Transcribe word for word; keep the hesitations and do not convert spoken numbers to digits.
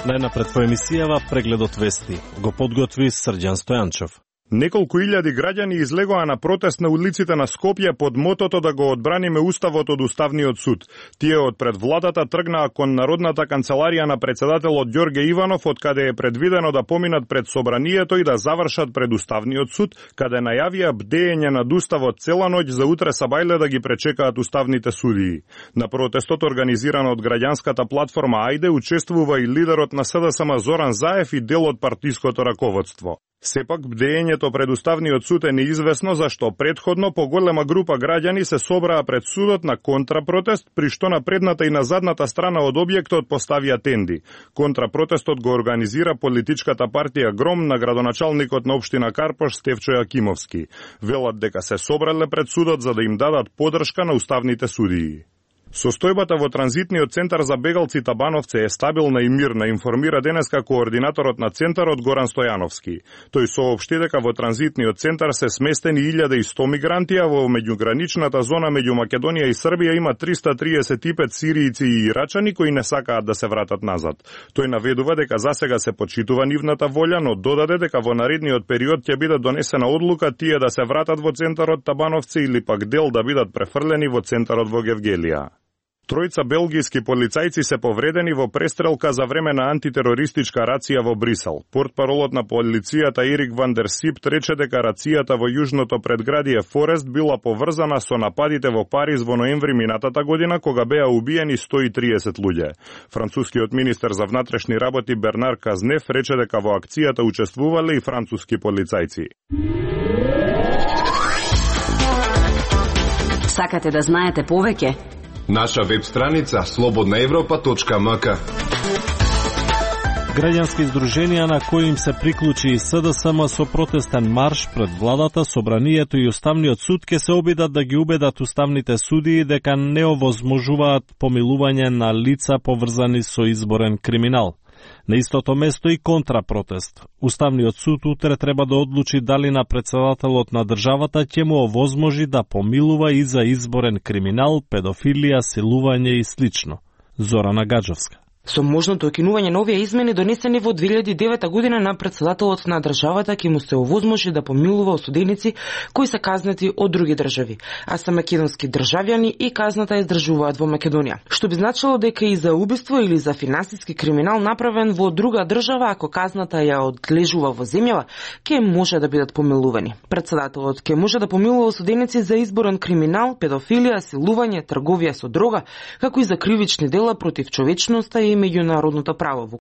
Најнапред во емисијава прегледот вести го подготви Срđan Стојанчов. Неколку илјади граѓани излегоа на протест на улиците на Скопје под мотото да го одбраниме уставот од Уставниот суд. Тие од пред владата тргнаа кон Народната канцеларија на председателот Ѓорге Иванов, од каде е предвидено да поминат пред собранието и да завршат пред Уставниот суд, каде најавија бдеење над уставот цела ноќ за утре сабајле да ги пречекаат уставните судии. На протестот, организиран од граѓанската платформа Ајде, учествува и лидерот на СДСМ Зоран Заев и дел од партиското раководство. Сепак, бдеењето пред Уставниот суд е неизвестно зашто предходно поголема група граѓани се собраа пред судот на контрапротест, при што на предната и на задната страна од објектот поставија тенди. Контрапротестот го организира политичката партија Гром на градоначалникот на општина Карпош Стефчо Јакимовски. Велат дека се собрале пред судот за да им дадат подршка на уставните судии. Состојбата во транзитниот центар за бегалци Табановце е стабилна и мирна, информира денеска координаторот на центарот Горан Стојановски. Тој соопшти дека во транзитниот центар се сместени илјада и сто мигранти, а во меѓуграничната зона меѓу Македонија и Србија има триста триесет и пет сиријци и ирачани кои не сакаат да се вратат назад. Тој наведува дека засега се почитува нивната волја, но додаде дека во наредниот период ќе биде донесена одлука тие да се вратат во центарот Табановце или пак дел да бидат префрлени во центарот во Гевгелија. Тројца белгијски полицајци се повредени во престрелка за време на антитерористичка рација во Брисел. Портпаролот на полицијата Ерик Ван дер Сипт рече дека рацијата во јужното предградие Форест била поврзана со нападите во Париз во ноември минатата година, кога беа убиени сто и триесет луѓе. Францускиот министер за внатрешни работи Бернар Казнев рече дека во акцијата учествувале и француски полицајци. Сакате да знаете повеќе? Наша веб страница слободна европа точка ем ка. Граѓански издруженија на кои им се приклучи и СДСМ со протестен марш пред владата, собранието и Уставниот суд ќе се обидат да ги убедат уставните судии дека не овозможуваат помилување на лица поврзани со изборен криминал. На истото место и контрапротест. Уставниот суд утре треба да одлучи дали на председателот на државата ќе му овозможи да помилува и за изборен криминал, педофилија, силување и слично. Зорана Гаджовска. Со можното окинување на овие измени донесени во две илјади и девета година на председателот на државата ќе му се овозможи да помилува осуденици кои се казнати од други држави, а се македонски државјани и казната ја издржуваат во Македонија. Што би значило дека и за убиство или за финансиски криминал направен во друга држава, ако казната ја одлежува во земјава, ќе може да бидат помилувани. Председателот ќе може да помилува осуденици за изборен криминал, педофилија, силување, трговија со дрога, како и за кривични дела против човечноста и меѓународното право, во